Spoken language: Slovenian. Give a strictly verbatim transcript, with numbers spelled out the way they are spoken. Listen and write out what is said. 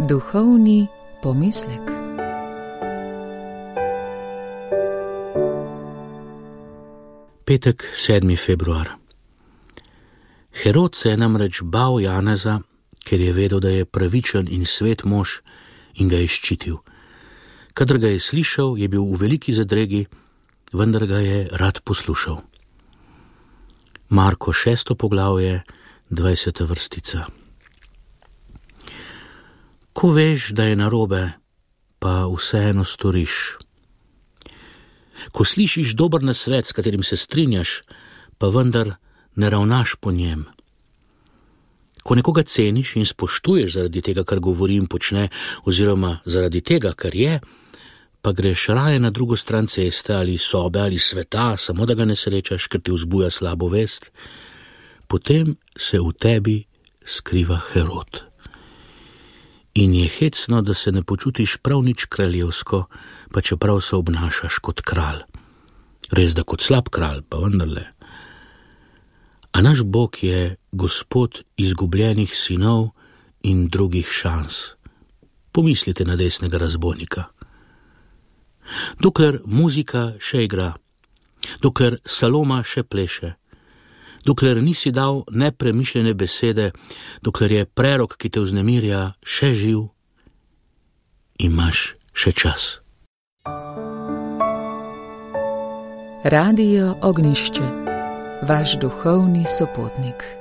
Duhovni pomislek. Petek, sedmi februar. Herod se je namreč bal Janeza, ker je vedel, da je pravičen in svet mož, in ga je ščitil. Kadar ga je slišal, je bil v veliki zadregi, vendar ga je rad poslušal. Marko šesto poglavje, dvajseta vrstica. Ko veš, da je narobe, pa vseeno storiš. Ko slišiš dober nasvet, s katerim se strinjaš, pa vendar ne ravnaš po njem. Ko nekoga ceniš in spoštuješ zaradi tega, kar govori in počne, oziroma zaradi tega, kar je, pa greš raje na drugo stran ceste ali sobe ali sveta, samo da ga ne srečaš, ker ti vzbuja slabo vest, potem se v tebi skriva Herod. In je hecno, da se ne počutiš prav nič kraljevsko, pa čeprav se obnašaš kot kralj. Res da kot slab kralj, pa vendarle. A naš Bog je Gospod izgubljenih sinov in drugih šans. Pomislite na desnega razbojnika. Dokler muzika še igra, dokler Saloma še pleše, dokler nisi dal nepremišljene besede, dokler je prerok, ki te vznemirja, še živ, imaš še čas. Radio Ognjišče, vaš duhovni sopotnik.